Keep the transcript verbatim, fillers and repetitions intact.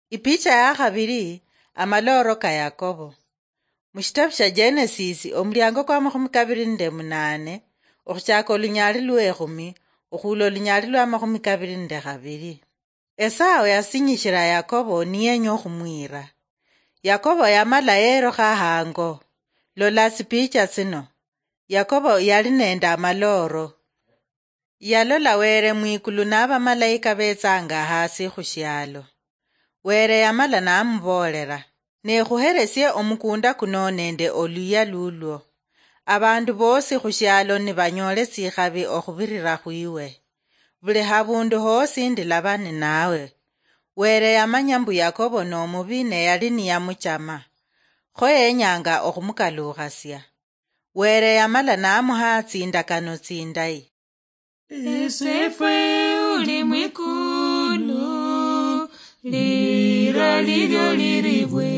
Ipicha ya khabili, amalooro ka Yakobo. Mu shitabu sha Genesis, omuliango kwa makhumi kabili nende munaane, okhuchaka olunyaali lwekhumi, okhuula olunyaali lwa makhumi kabili nende khabili. Esau yasinyishila Yakobo niyenya okhumwiira. Yakobo yamala yerokha hango. Lola tsipicha tsino. Yakobo yali nende amalooro. Yalola Wele mwikulu nabamalayika betsanga hasi khushialo. Wele yamala namuboolera, "Nekhuheresie omukunda kuno nende oluyia lulwo. Abandu bosi khushialo nibanyoole tsikhabi okhubirira khwiwe. Buli habundu hosi ndilaba ninawe." Wele yamanya mbu Yakobo nomubi ne yali niyamuchama. Kho yenyanga okhumukalukhasia. Wele yamala namuha tsindakano tsindayi. Esefwe uli mwikulu, lira lilyo liribwe.